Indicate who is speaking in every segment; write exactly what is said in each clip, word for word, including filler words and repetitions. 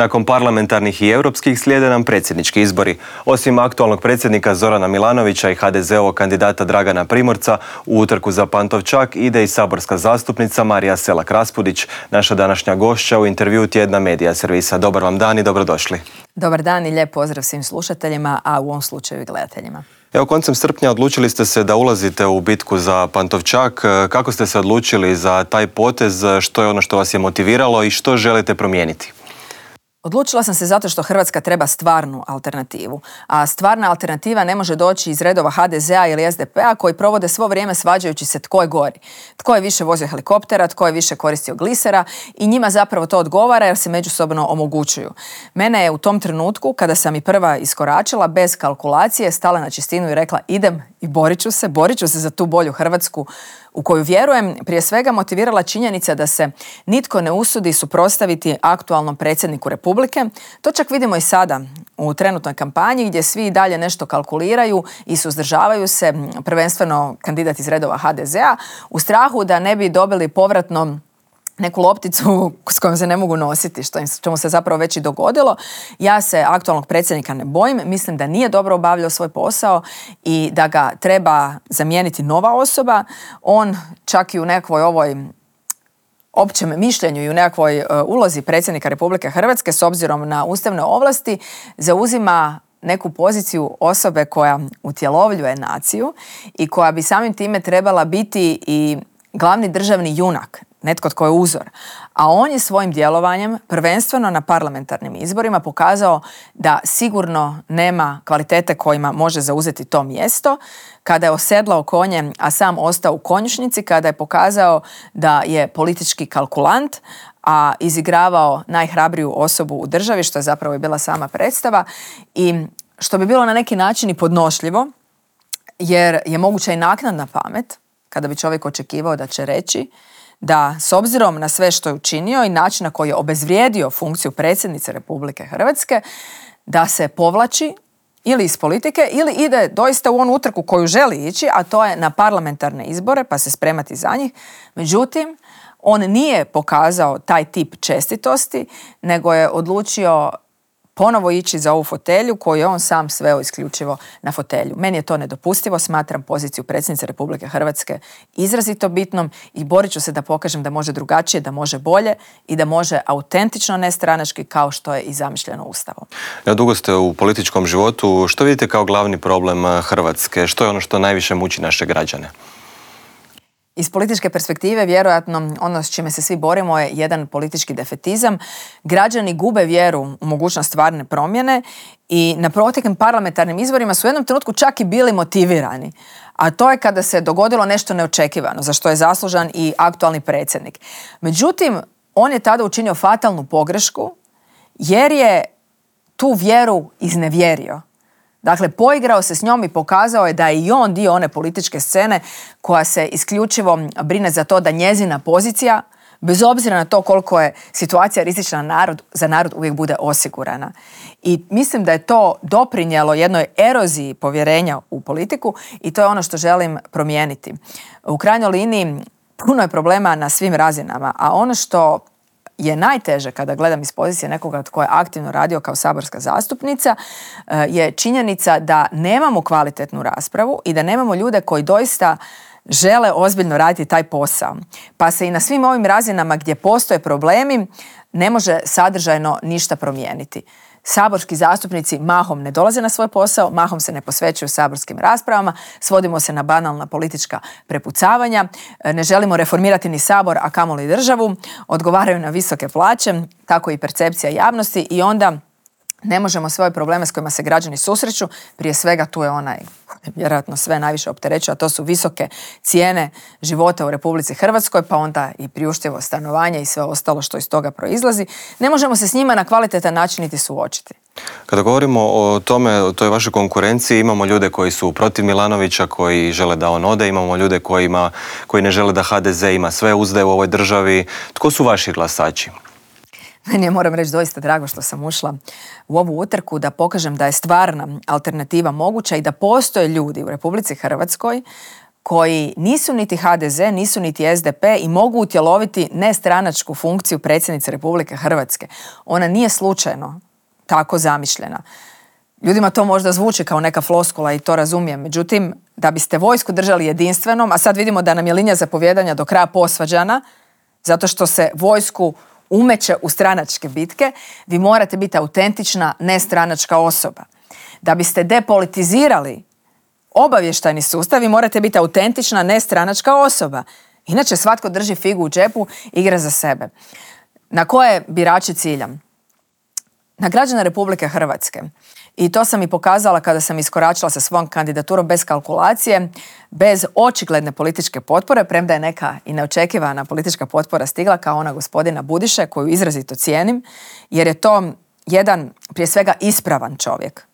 Speaker 1: Nakon parlamentarnih i europskih slijede nam predsjednički izbori. Osim aktualnog predsjednika Zorana Milanovića i ha de ze-ovog kandidata Dragana Primorca, u utrku za Pantovčak ide i saborska zastupnica Marija Selak-Raspudić, naša današnja gošća u intervjuu tjedna Medija servisa. Dobar vam dan i dobrodošli.
Speaker 2: Dobar dan i lijep pozdrav svim slušateljima, a u ovom slučaju i gledateljima.
Speaker 1: Evo, koncem srpnja odlučili ste se da ulazite u bitku za Pantovčak. Kako ste se odlučili za taj potez? Što je ono što vas je motiviralo i što želite promijeniti?
Speaker 2: Odlučila sam se zato što Hrvatska treba stvarnu alternativu, a stvarna alternativa ne može doći iz redova ha de ze-a ili es de pe-a koji provode svo vrijeme svađajući se tko je gori, tko je više vozio helikoptera, tko je više koristio glisera i njima zapravo to odgovara jer se međusobno omogućuju. Mene je u tom trenutku, kada sam i prva iskoračila, bez kalkulacije stala na čistinu i rekla idem i borit ću se, borit ću se za tu bolju Hrvatsku u koju vjerujem, prije svega motivirala činjenica da se nitko ne usudi suprotstaviti aktualnom predsjedniku Republike. To čak vidimo i sada u trenutnoj kampanji gdje svi i dalje nešto kalkuliraju i suzdržavaju se, prvenstveno kandidat iz redova ha de ze-a, u strahu da ne bi dobili povratno neku lopticu s kojom se ne mogu nositi, što čemu se zapravo već i dogodilo. Ja se aktualnog predsjednika ne bojim, mislim da nije dobro obavljao svoj posao i da ga treba zamijeniti nova osoba. On čak i u nekoj ovoj općem mišljenju i u nekakvoj uh, ulozi predsjednika Republike Hrvatske s obzirom na ustavne ovlasti zauzima neku poziciju osobe koja utjelovljuje naciju i koja bi samim time trebala biti i glavni državni junak, netko tko je uzor. A on je svojim djelovanjem, prvenstveno na parlamentarnim izborima, pokazao da sigurno nema kvalitete kojima može zauzeti to mjesto. Kada je osedlao konje, a sam ostao u konjušnici, kada je pokazao da je politički kalkulant, a izigravao najhrabriju osobu u državi, što je zapravo i bila sama predstava, i što bi bilo na neki način i podnošljivo, jer je moguća i naknadna pamet, kada bi čovjek očekivao da će reći da s obzirom na sve što je učinio i način na koji je obezvrijedio funkciju predsjednice Republike Hrvatske, da se povlači ili iz politike ili ide doista u onu utrku koju želi ići, a to je na parlamentarne izbore pa se spremati za njih. Međutim, on nije pokazao taj tip čestitosti, nego je odlučio ponovo ići za ovu fotelju koju je on sam sveo isključivo na fotelju. Meni je to nedopustivo, smatram poziciju predsjednice Republike Hrvatske izrazito bitnom i borit ću se da pokažem da može drugačije, da može bolje i da može autentično nestranački kao što je i zamišljeno Ustavom.
Speaker 1: Ja, dugo ste u političkom životu. Što vidite kao glavni problem Hrvatske? Što je ono što najviše muči naše građane?
Speaker 2: Iz političke perspektive, vjerojatno, ono s čime se svi borimo je jedan politički defetizam. Građani gube vjeru u mogućnost stvarne promjene i na proteklim parlamentarnim izborima su u jednom trenutku čak i bili motivirani. A to je kada se dogodilo nešto neočekivano, za što je zaslužan i aktualni predsjednik. Međutim, on je tada učinio fatalnu pogrešku jer je tu vjeru iznevjerio. Dakle, poigrao se s njom i pokazao je da je i on dio one političke scene koja se isključivo brine za to da njezina pozicija, bez obzira na to koliko je situacija rizična narod, za narod uvijek bude osigurana. I mislim da je to doprinijelo jednoj eroziji povjerenja u politiku i to je ono što želim promijeniti. U krajnjoj liniji puno je problema na svim razinama, a ono što je najteže kada gledam iz pozicije nekoga tko je aktivno radio kao saborska zastupnica je činjenica da nemamo kvalitetnu raspravu i da nemamo ljude koji doista žele ozbiljno raditi taj posao. Pa se i na svim ovim razinama gdje postoje problemi ne može sadržajno ništa promijeniti. Saborski zastupnici mahom ne dolaze na svoj posao, mahom se ne posvećuju saborskim raspravama, svodimo se na banalna politička prepucavanja, ne želimo reformirati ni sabor, a kamoli državu, odgovaraju na visoke plaće, tako i percepcija javnosti i onda ne možemo svoje probleme s kojima se građani susreću, prije svega tu je onaj vjerojatno sve najviše opterećuje, a to su visoke cijene života u Republici Hrvatskoj, pa onda i priuštivo stanovanje i sve ostalo što iz toga proizlazi. Ne možemo se s njima na kvalitetan način niti suočiti.
Speaker 1: Kada govorimo o tome, o toj vašoj konkurenciji, imamo ljude koji su protiv Milanovića, koji žele da on ode, imamo ljude kojima, koji ne žele da ha de ze ima sve uzde u ovoj državi. Tko su vaši glasači?
Speaker 2: Meni je, moram reći, doista drago što sam ušla u ovu utrku da pokažem da je stvarna alternativa moguća i da postoje ljudi u Republici Hrvatskoj koji nisu niti ha de ze, nisu niti es de pe i mogu utjeloviti nestranačku funkciju predsjednice Republike Hrvatske. Ona nije slučajno tako zamišljena. Ljudima to možda zvuči kao neka floskula i to razumijem. Međutim, da biste vojsku držali jedinstvenom, a sad vidimo da nam je linija zapovijedanja do kraja posvađana, zato što se vojsku umeće u stranačke bitke, vi morate biti autentična, nestranačka osoba. Da biste depolitizirali obavještajni sustav, vi morate biti autentična, nestranačka osoba. Inače, svatko drži figu u džepu, igra za sebe. Na koje birače ciljam? Na građane Republike Hrvatske. I to sam i pokazala kada sam iskoračila sa svojom kandidaturom bez kalkulacije, bez očigledne političke potpore, premda je neka i neočekivana politička potpora stigla kao ona gospodina Budiše, koju izrazito cijenim, jer je to jedan, prije svega, ispravan čovjek,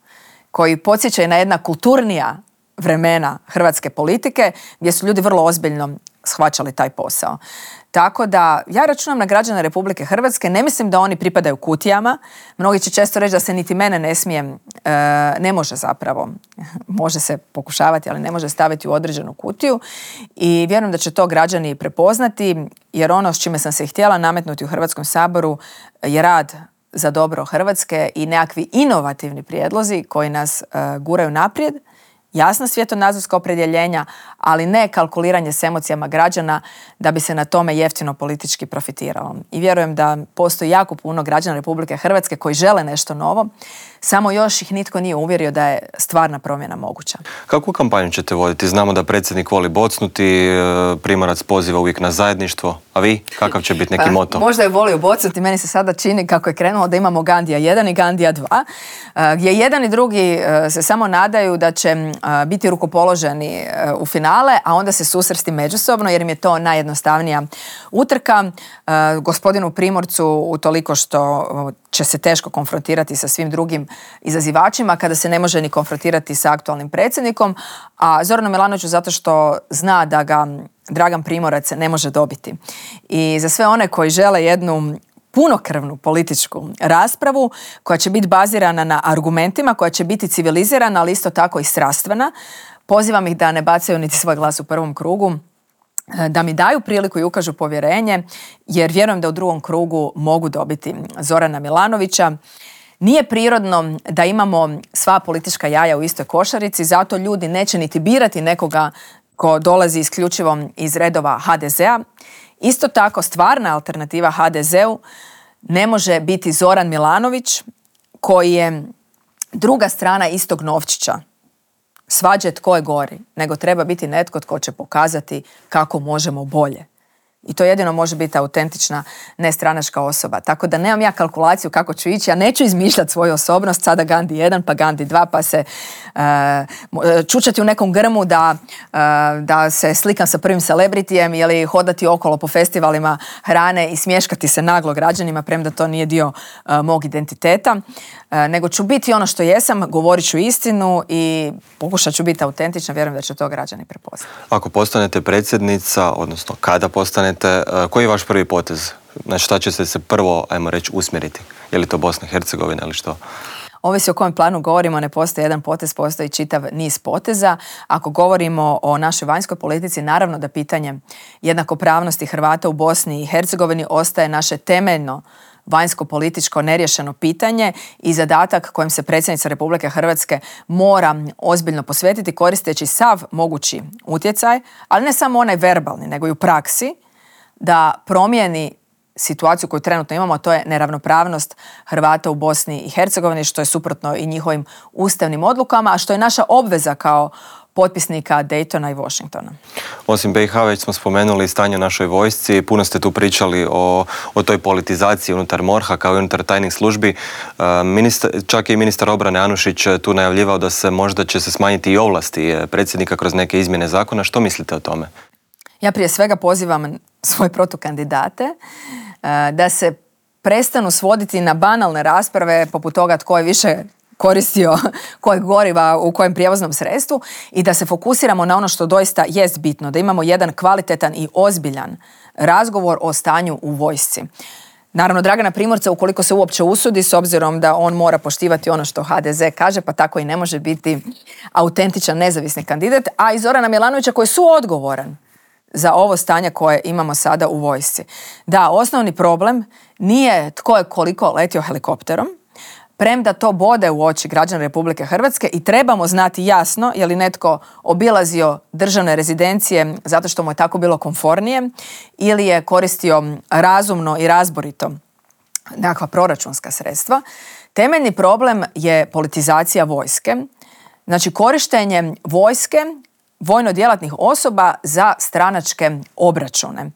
Speaker 2: koji podsjeća i na jedna kulturnija vremena hrvatske politike, gdje su ljudi vrlo ozbiljno shvaćali taj posao. Tako da ja računam na građane Republike Hrvatske, ne mislim da oni pripadaju kutijama. Mnogi će često reći da se niti mene ne smije, e, ne može zapravo, može se pokušavati, ali ne može staviti u određenu kutiju i vjerujem da će to građani prepoznati, jer ono s čime sam se htjela nametnuti u Hrvatskom saboru je rad za dobro Hrvatske i nekakvi inovativni prijedlozi koji nas e, guraju naprijed, jasna svjetonazorska opredjeljenja, ali ne kalkuliranje s emocijama građana da bi se na tome jeftino politički profitiralo. I vjerujem da postoji jako puno građana Republike Hrvatske koji žele nešto novo, samo još ih nitko nije uvjerio da je stvarna promjena moguća.
Speaker 1: Kakvu kampanju ćete voditi? Znamo da predsjednik voli bocnuti, Primorac poziva uvijek na zajedništvo, a vi? Kakav će biti neki
Speaker 2: pa,
Speaker 1: moto?
Speaker 2: Možda je volio bocnuti, meni se sada čini kako je krenulo da imamo Gandija jedan i Gandija dva, gdje jedan i drugi se samo nadaju da će biti rukopoloženi u finale, a onda se susresti međusobno jer im je to najjednostavnija utrka. Gospodinu Primorcu utoliko što će se teško konfrontirati sa svim drugim izazivačima kada se ne može ni konfrontirati sa aktualnim predsjednikom, a Zoranu Milanoviću zato što zna da ga Dragan Primorac ne može dobiti. I za sve one koji žele jednu punokrvnu političku raspravu koja će biti bazirana na argumentima, koja će biti civilizirana, ali isto tako i strastvena, pozivam ih da ne bacaju niti svoj glas u prvom krugu, da mi daju priliku i ukažu povjerenje, jer vjerujem da u drugom krugu mogu dobiti Zorana Milanovića. Nije prirodno da imamo sva politička jaja u istoj košarici, zato ljudi neće niti birati nekoga ko dolazi isključivo iz redova ha de zea. Isto tako, stvarna alternativa ha de zeu ne može biti Zoran Milanović, koji je druga strana istog novčića. Svađe tko je gori, nego treba biti netko tko će pokazati kako možemo bolje. I to jedino može biti autentična, nestranačka osoba. Tako da nemam ja kalkulaciju kako ću ići, ja neću izmišljati svoju osobnost, sada Gandhi jedan, pa Gandhi dva, pa se uh, čučati u nekom grmu da, uh, da se slikam sa prvim celebritijem ili hodati okolo po festivalima hrane i smješkati se naglo građanima, premda to nije dio uh, mog identiteta. Uh, nego ću biti ono što jesam, govorit ću istinu i pokušat ću biti autentična, vjerujem da će to građani prepoznati.
Speaker 1: Ako postanete predsjednica, odnosno kada postanete, koji je vaš prvi potez? Na šta će se prvo, ajmo reći, usmjeriti? Je li to Bosna i Hercegovina ili što?
Speaker 2: Ovisi o kojem planu govorimo, ne postoji jedan potez, postoji čitav niz poteza. Ako govorimo o našoj vanjskoj politici, naravno da pitanje jednakopravnosti Hrvata u Bosni i Hercegovini ostaje naše temeljno vanjsko-političko neriješeno pitanje i zadatak kojem se predsjednica Republike Hrvatske mora ozbiljno posvetiti koristeći sav mogući utjecaj, ali ne samo onaj verbalni, nego i u praksi, da promijeni situaciju koju trenutno imamo, a to je neravnopravnost Hrvata u Bosni i Hercegovini, što je suprotno i njihovim ustavnim odlukama, a što je naša obveza kao potpisnika Daytona i Washingtona. Osim
Speaker 1: be i ha već smo spomenuli stanje u našoj vojsci, puno ste tu pričali o, o toj politizaciji unutar morha kao i unutar tajnih službi. Ministar, čak i ministar obrane Anušić tu najavljivao da se možda će se smanjiti i ovlasti predsjednika kroz neke izmjene zakona. Što mislite o tome?
Speaker 2: Ja prije svega pozivam svoje protukandidate da se prestanu svoditi na banalne rasprave poput toga tko je više koristio kojeg goriva u kojem prijevoznom sredstvu i da se fokusiramo na ono što doista jest bitno, da imamo jedan kvalitetan i ozbiljan razgovor o stanju u vojsci. Naravno, Dragana Primorca, ukoliko se uopće usudi, s obzirom da on mora poštivati ono što ha de ze kaže, pa tako i ne može biti autentičan nezavisni kandidat, a i Zorana Milanovića koji je suodgovoran za ovo stanje koje imamo sada u vojsci. Da, osnovni problem nije tko je koliko letio helikopterom, premda to bode u oči građana Republike Hrvatske i trebamo znati jasno je li netko obilazio državne rezidencije zato što mu je tako bilo komfornije ili je koristio razumno i razborito nekakva proračunska sredstva. Temeljni problem je politizacija vojske, znači korištenje vojske, vojno djelatnih osoba za stranačke obračune.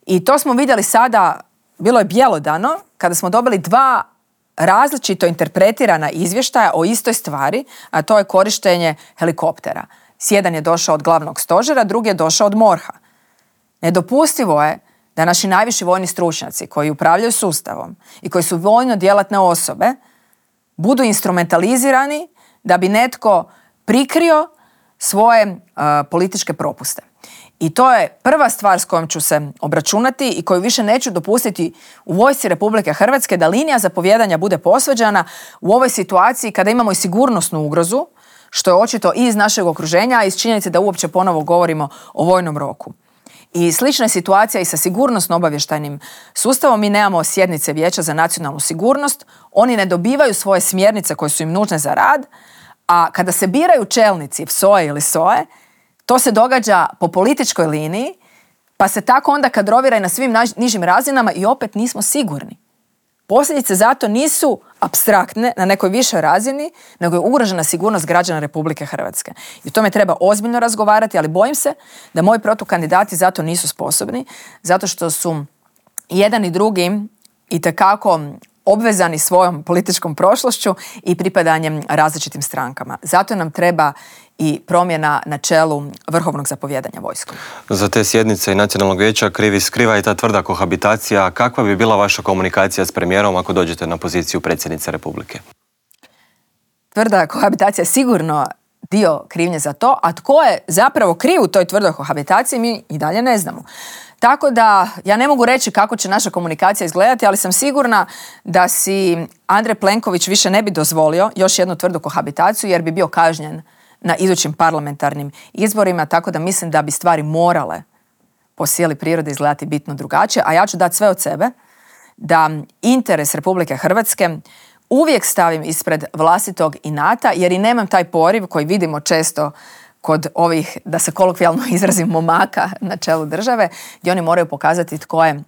Speaker 2: I to smo vidjeli sada, bilo je bjelodano, kada smo dobili dva različito interpretirana izvještaja o istoj stvari, a to je korištenje helikoptera. Jedan je došao od glavnog stožera, drugi je došao od morha. Nedopustivo je da naši najviši vojni stručnjaci koji upravljaju sustavom i koji su vojno djelatne osobe budu instrumentalizirani da bi netko prikrio svoje uh, političke propuste. I to je prva stvar s kojom ću se obračunati i koju više neću dopustiti u vojsci Republike Hrvatske, da linija zapovijedanja bude posvađana u ovoj situaciji kada imamo i sigurnosnu ugrozu, što je očito i iz našeg okruženja, a iz činjenice da uopće ponovo govorimo o vojnom roku. I slična je situacija i sa sigurnosno-obavještajnim sustavom. Mi nemamo sjednice Vijeća za nacionalnu sigurnost, oni ne dobivaju svoje smjernice koje su im nužne za rad, a kada se biraju čelnici ef es o e ili es o e, to se događa po političkoj liniji, pa se tako onda kadrovira i na svim nižim razinama i opet nismo sigurni. Posljedice zato nisu apstraktne na nekoj višoj razini, nego je ugrožena sigurnost građana Republike Hrvatske. I o tome treba ozbiljno razgovarati, ali bojim se da moji protukandidati zato nisu sposobni, zato što su jedan i drugi itekako obvezani svojom političkom prošlošću i pripadanjem različitim strankama. Zato nam treba i promjena na čelu vrhovnog zapovjedanja vojskom.
Speaker 1: Za te sjednice i Nacionalnog vijeća krivi skriva i ta tvrda kohabitacija. Kakva bi bila vaša komunikacija s premijerom ako dođete na poziciju predsjednice Republike?
Speaker 2: Tvrda kohabitacija je sigurno dio krivnje za to, a tko je zapravo kriv u toj tvrdoj kohabitaciji mi i dalje ne znamo. Tako da ja ne mogu reći kako će naša komunikacija izgledati, ali sam sigurna da si Andrej Plenković više ne bi dozvolio još jednu tvrdu kohabitaciju jer bi bio kažnjen na idućim parlamentarnim izborima, tako da mislim da bi stvari morale po sili prirode izgledati bitno drugačije, a ja ću dati sve od sebe da interes Republike Hrvatske uvijek stavim ispred vlastitog inata, jer i nemam taj poriv koji vidimo često kod ovih, da se kolokvijalno izrazim, momaka na čelu države, gdje oni moraju pokazati tko je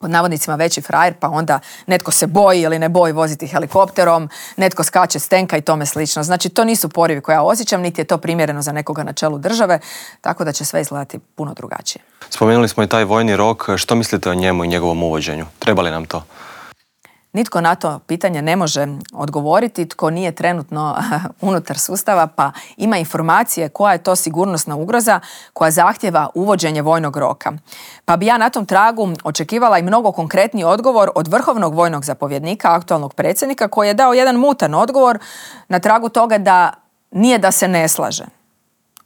Speaker 2: pod navodnicima veći frajer, pa onda netko se boji ili ne boji voziti helikopterom, netko skače s tenka i tome slično. Znači, to nisu porivi koje ja osjećam, niti je to primjereno za nekoga na čelu države, tako da će sve izgledati puno drugačije.
Speaker 1: Spomenuli smo i taj vojni rok. Što mislite o njemu i njegovom uvođenju? Treba li nam to?
Speaker 2: Nitko na to pitanje ne može odgovoriti, tko nije trenutno unutar sustava, pa ima informacije koja je to sigurnosna ugroza koja zahtjeva uvođenje vojnog roka. Pa bi ja na tom tragu očekivala i mnogo konkretniji odgovor od vrhovnog vojnog zapovjednika, aktualnog predsjednika, koji je dao jedan mutan odgovor na tragu toga da nije da se ne slaže.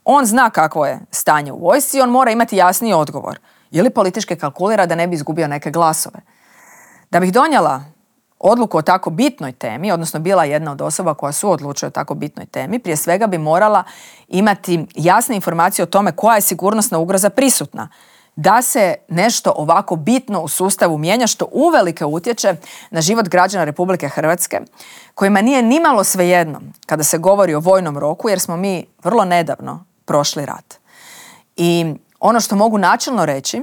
Speaker 2: On zna kakvo je stanje u vojsci i on mora imati jasniji odgovor. Ili politički kalkulira da ne bi izgubio neke glasove. Da bih donijela odluku o tako bitnoj temi, odnosno bila jedna od osoba koja suodlučuje o tako bitnoj temi, prije svega bi morala imati jasne informacije o tome koja je sigurnosna ugroza prisutna. Da se nešto ovako bitno u sustavu mijenja što uvelike utječe na život građana Republike Hrvatske, kojima nije nimalo svejedno kada se govori o vojnom roku, jer smo mi vrlo nedavno prošli rat. I ono što mogu načelno reći,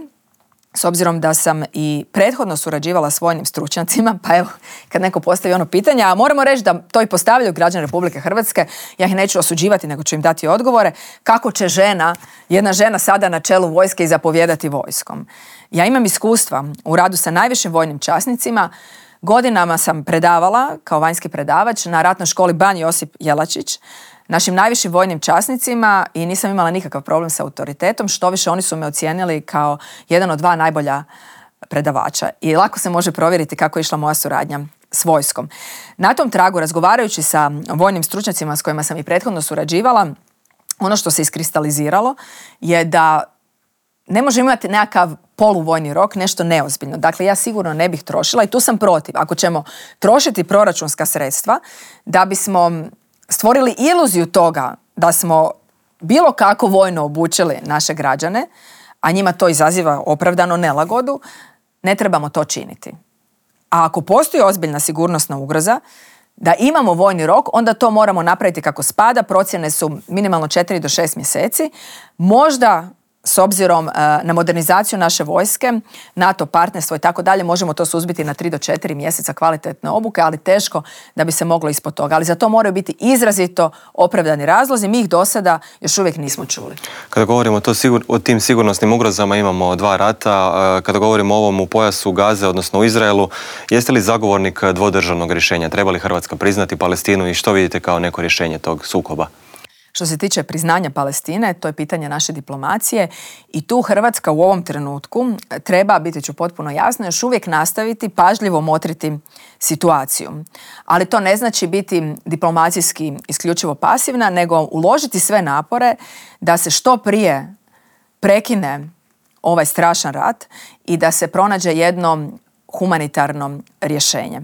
Speaker 2: s obzirom da sam i prethodno surađivala s vojnim stručnjacima, pa evo, kad neko postavi ono pitanje, a moramo reći da to i postavljaju građani Republike Hrvatske, ja ih neću osuđivati, nego ću im dati odgovore, kako će žena, jedna žena sada na čelu vojske i zapovijedati vojskom. Ja imam iskustva u radu sa najvišim vojnim časnicima, godinama sam predavala kao vanjski predavač na ratnoj školi Ban Josip Jelačić, našim najvišim vojnim časnicima i nisam imala nikakav problem sa autoritetom, štoviše oni su me ocijenili kao jedan od dva najbolja predavača i lako se može provjeriti kako je išla moja suradnja s vojskom. Na tom tragu, razgovarajući sa vojnim stručnjacima s kojima sam i prethodno surađivala, ono što se iskristaliziralo je da ne može imati nekakav poluvojni rok, nešto neozbiljno. Dakle, ja sigurno ne bih trošila i tu sam protiv. Ako ćemo trošiti proračunska sredstva da bismo stvorili iluziju toga da smo bilo kako vojno obučili naše građane, a njima to izaziva opravdano nelagodu, ne trebamo to činiti. A ako postoji ozbiljna sigurnosna ugroza, da imamo vojni rok, onda to moramo napraviti kako spada. Procjene su minimalno četiri do šest mjeseci. Možda s obzirom na modernizaciju naše vojske, NATO partnerstvo i tako dalje, možemo to suzbiti na tri do četiri mjeseca kvalitetne obuke, ali teško da bi se moglo ispod toga. Ali za to moraju biti izrazito opravdani razlozi. Mi ih do sada još uvijek nismo čuli.
Speaker 1: Kada govorimo to sigur, o tim sigurnosnim ugrozama, imamo dva rata. Kada govorimo o ovom u pojasu Gaze, odnosno u Izraelu, jeste li zagovornik dvodržavnog rješenja? Treba li Hrvatska priznati Palestinu i što vidite kao neko rješenje tog sukoba?
Speaker 2: Što se tiče priznanja Palestine, to je pitanje naše diplomacije i tu Hrvatska u ovom trenutku treba, biti ću potpuno jasno, još uvijek nastaviti pažljivo motriti situaciju. Ali to ne znači biti diplomacijski isključivo pasivna, nego uložiti sve napore da se što prije prekine ovaj strašan rat i da se pronađe jedno humanitarno rješenje.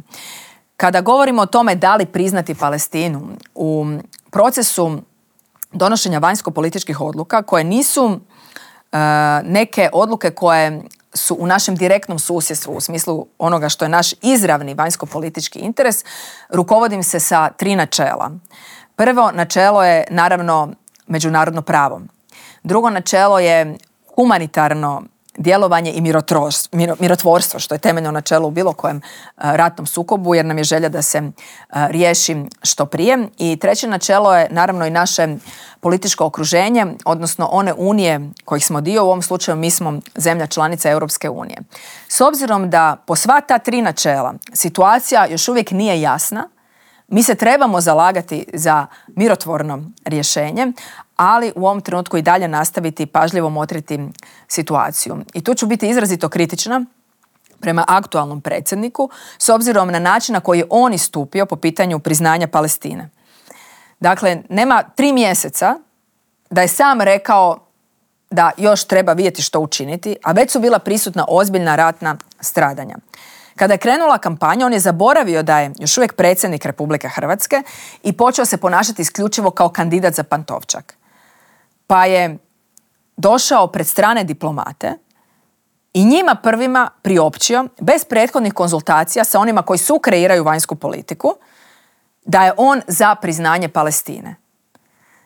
Speaker 2: Kada govorimo o tome da li priznati Palestinu, u procesu donošenja vanjsko-političkih odluka koje nisu uh, neke odluke koje su u našem direktnom susjedstvu, u smislu onoga što je naš izravni vanjsko-politički interes, rukovodim se sa tri načela. Prvo načelo je naravno međunarodno pravo. Drugo načelo je humanitarno djelovanje i mirotvorstvo, što je temeljno načelo u bilo kojem ratnom sukobu, jer nam je želja da se riješi što prije. I treće načelo je naravno i naše političko okruženje, odnosno one unije kojih smo dio, u ovom slučaju mi smo zemlja članica Europske unije. S obzirom da po sva ta tri načela situacija još uvijek nije jasna, mi se trebamo zalagati za mirotvorno rješenje, ali u ovom trenutku i dalje nastaviti pažljivo motriti situaciju. I tu ću biti izrazito kritična prema aktualnom predsjedniku s obzirom na način na koji je on istupio po pitanju priznanja Palestine. Dakle, nema tri mjeseca da je sam rekao da još treba vidjeti što učiniti, a već su bila prisutna ozbiljna ratna stradanja. Kada je krenula kampanja, on je zaboravio da je još uvijek predsjednik Republike Hrvatske i počeo se ponašati isključivo kao kandidat za Pantovčak. Pa je došao pred strane diplomate i njima prvima priopćio, bez prethodnih konzultacija sa onima koji sukreiraju vanjsku politiku, da je on za priznanje Palestine.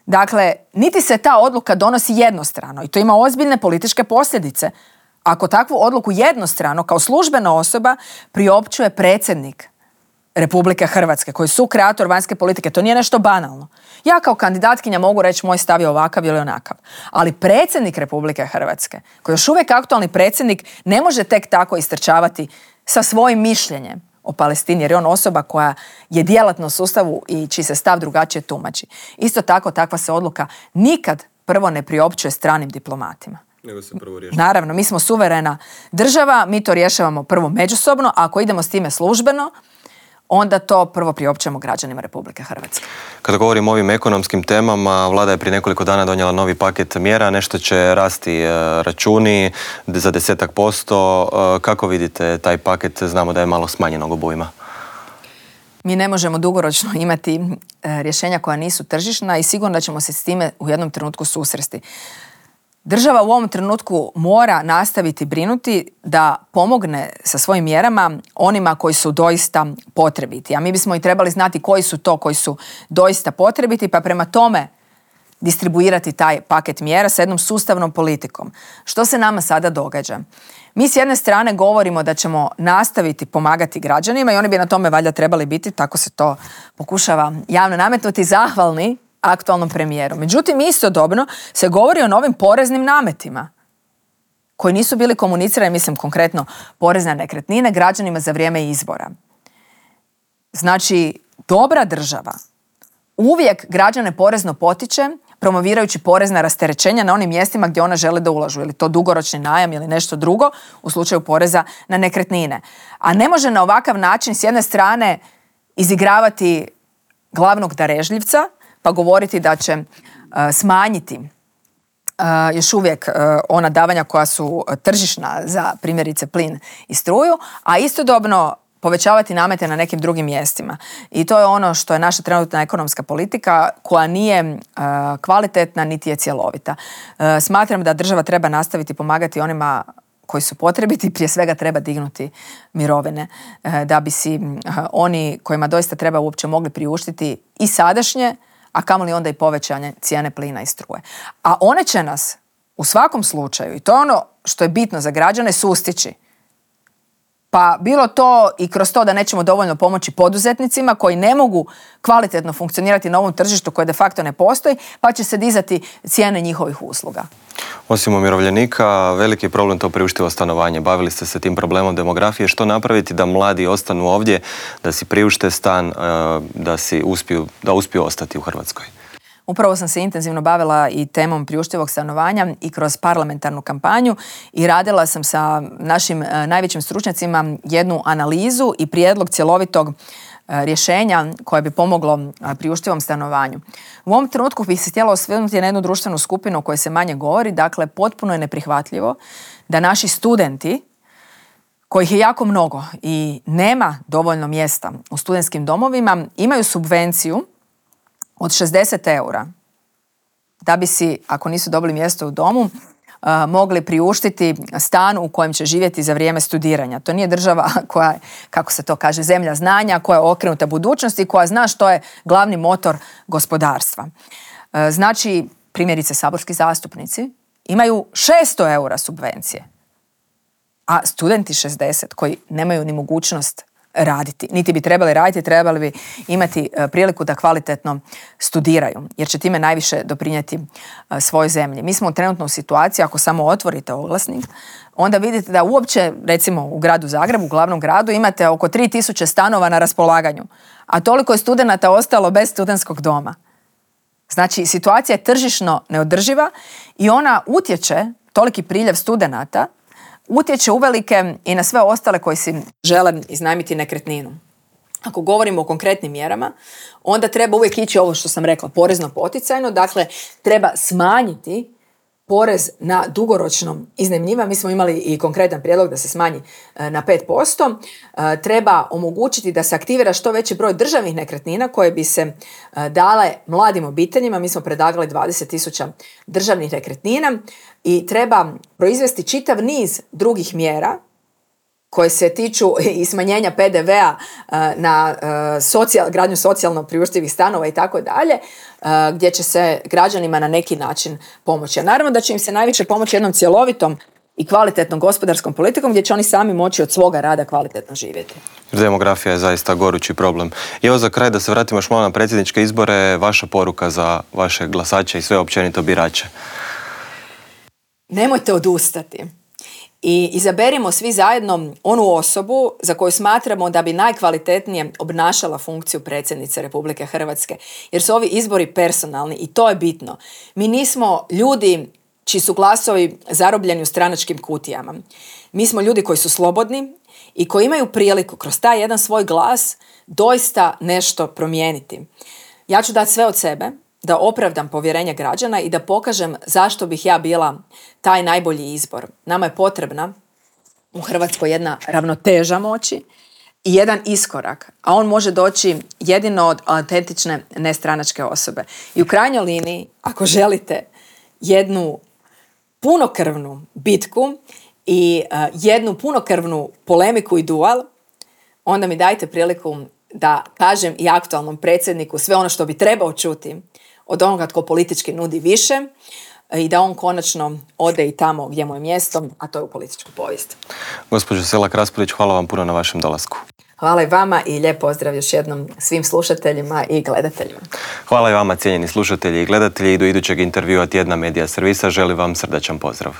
Speaker 2: Dakle, niti se ta odluka donosi jednostrano i to ima ozbiljne političke posljedice. Ako takvu odluku jednostrano kao službena osoba priopćuje predsjednik Republike Hrvatske, koji je sukreator vanjske politike, to nije nešto banalno. Ja kao kandidatkinja mogu reći moj stav je ovakav ili onakav, ali predsjednik Republike Hrvatske, koji je još uvijek aktualni predsjednik, ne može tek tako istrčavati sa svojim mišljenjem o Palestini, jer je on osoba koja je djelatna u sustavu i čiji se stav drugačije tumači. Isto tako, takva se odluka nikad prvo ne priopćuje stranim diplomatima.
Speaker 1: Nego se prvo rješava.
Speaker 2: Naravno, mi smo suverena država, mi to rješavamo prvo međusobno, a ako idemo s time službeno, onda to prvo priopćujemo građanima Republike Hrvatske.
Speaker 1: Kada govorimo o ovim ekonomskim temama, vlada je prije nekoliko dana donijela novi paket mjera, nešto će rasti računi za desetak posto. Kako vidite taj paket? Znamo da je malo smanjenog obujma.
Speaker 2: Mi ne možemo dugoročno imati rješenja koja nisu tržišna i sigurno da ćemo se s time u jednom trenutku susresti. Država u ovom trenutku mora nastaviti brinuti da pomogne sa svojim mjerama onima koji su doista potrebiti. A mi bismo i trebali znati koji su to koji su doista potrebiti, pa prema tome distribuirati taj paket mjera sa jednom sustavnom politikom. Što se nama sada događa? Mi s jedne strane govorimo da ćemo nastaviti pomagati građanima i oni bi na tome valjda trebali biti, tako se to pokušava javno nametnuti, zahvalni aktualnom premijeru. Međutim, istodobno se govori o novim poreznim nametima koji nisu bili komunicirani, mislim konkretno porez na nekretnine, građanima za vrijeme izbora. Znači, dobra država uvijek građane porezno potiče promovirajući porezna rasterećenja na onim mjestima gdje ona žele da ulažu, ili to dugoročni najam ili nešto drugo u slučaju poreza na nekretnine. A ne može na ovakav način s jedne strane izigravati glavnog darežljivca pa govoriti da će uh, smanjiti još uvijek ona davanja koja su tržišna za primjerice plin i struju, a istodobno povećavati namete na nekim drugim mjestima. I to je ono što je naša trenutna ekonomska politika koja nije uh, kvalitetna niti je cjelovita. Uh, smatram da država treba nastaviti pomagati onima koji su potrebiti, prije svega treba dignuti mirovine uh, da bi si uh, oni kojima doista treba uopće mogli priuštiti i sadašnje, a kamoli onda i povećanje cijene plina i struje. A one će nas u svakom slučaju, i to je ono što je bitno za građane, sustići. Pa bilo to i kroz to da nećemo dovoljno pomoći poduzetnicima koji ne mogu kvalitetno funkcionirati na ovom tržištu koje de facto ne postoji, pa će se dizati cijene njihovih usluga.
Speaker 1: Osim umirovljenika, veliki je problem to priuštivo stanovanje. Bavili ste se tim problemom demografije. Što napraviti da mladi ostanu ovdje, da si priušte stan, da, si uspiju, da uspiju ostati u Hrvatskoj?
Speaker 2: Upravo sam se intenzivno bavila i temom priuštivog stanovanja i kroz parlamentarnu kampanju i radila sam sa našim najvećim stručnjacima jednu analizu i prijedlog cjelovitog rješenja koje bi pomoglo priuštivom stanovanju. U ovom trenutku bih se htjela osvrnuti na jednu društvenu skupinu o kojoj se manje govori. Dakle, potpuno je neprihvatljivo da naši studenti, kojih je jako mnogo i nema dovoljno mjesta u studentskim domovima, imaju subvenciju od šezdeset eura da bi si, ako nisu dobili mjesto u domu, uh, mogli priuštiti stan u kojem će živjeti za vrijeme studiranja. To nije država koja je, kako se to kaže, zemlja znanja, koja je okrenuta budućnosti, koja zna što je glavni motor gospodarstva. Uh, znači, primjerice, saborski zastupnici imaju šesto eura subvencije, a studenti šezdeset koji nemaju ni mogućnost raditi. Niti bi trebali raditi, trebali bi imati priliku da kvalitetno studiraju, jer će time najviše doprinijeti svojoj zemlji. Mi smo trenutno u situaciji, ako samo otvorite oglasnik, onda vidite da uopće, recimo u gradu Zagrebu, u glavnom gradu, imate oko tri tisuće stanova na raspolaganju, a toliko je studenata ostalo bez studentskog doma. Znači, situacija je tržišno neodrživa i ona utječe, toliki priljev studenata, utječe uvelike i na sve ostale koji si žele iznajmiti nekretninu. Ako govorimo o konkretnim mjerama, onda treba uvijek ići ovo što sam rekla, porezno poticajno, dakle treba smanjiti porez na dugoročno iznajmljivanje. Mi smo imali i konkretan prijedlog da se smanji na pet posto. Treba omogućiti da se aktivira što veći broj državnih nekretnina koje bi se dale mladim obiteljima. Mi smo predlagali dvadeset tisuća državnih nekretnina i treba proizvesti čitav niz drugih mjera koje se tiču i smanjenja pe de vea na socijal, gradnju socijalno priuštivih stanova i tako dalje, gdje će se građanima na neki način pomoći. A naravno da će im se najviše pomoći jednom cjelovitom i kvalitetnom gospodarskom politikom gdje će oni sami moći od svoga rada kvalitetno živjeti.
Speaker 1: Demografija je zaista gorući problem. I evo za kraj da se vratimo još malo na predsjedničke izbore, vaša poruka za vaše glasače i sve općenito birače.
Speaker 2: Nemojte odustati. I izaberimo svi zajedno onu osobu za koju smatramo da bi najkvalitetnije obnašala funkciju predsjednice Republike Hrvatske. Jer su ovi izbori personalni i to je bitno. Mi nismo ljudi čiji su glasovi zarobljeni u stranačkim kutijama. Mi smo ljudi koji su slobodni i koji imaju priliku kroz taj jedan svoj glas doista nešto promijeniti. Ja ću dati sve od sebe da opravdam povjerenje građana i da pokažem zašto bih ja bila taj najbolji izbor. Nama je potrebna u Hrvatskoj jedna ravnoteža moći i jedan iskorak, a on može doći jedino od autentične nestranačke osobe. I u krajnjoj liniji, ako želite jednu punokrvnu bitku i uh, jednu punokrvnu polemiku i duel, onda mi dajte priliku da kažem i aktualnom predsjedniku sve ono što bi trebao čuti od onoga tko politički nudi više i da on konačno ode i tamo gdje mu je mjesto, a to je u političku povijest.
Speaker 1: Gospođo Selak Raspudić, hvala vam puno na vašem dolasku.
Speaker 2: Hvala i vama i lijep pozdrav još jednom svim slušateljima i gledateljima.
Speaker 1: Hvala i vama, cijenjeni slušatelji i gledatelji. I do idućeg intervjua Tjedna Medija servisa želim vam srdačan pozdrav.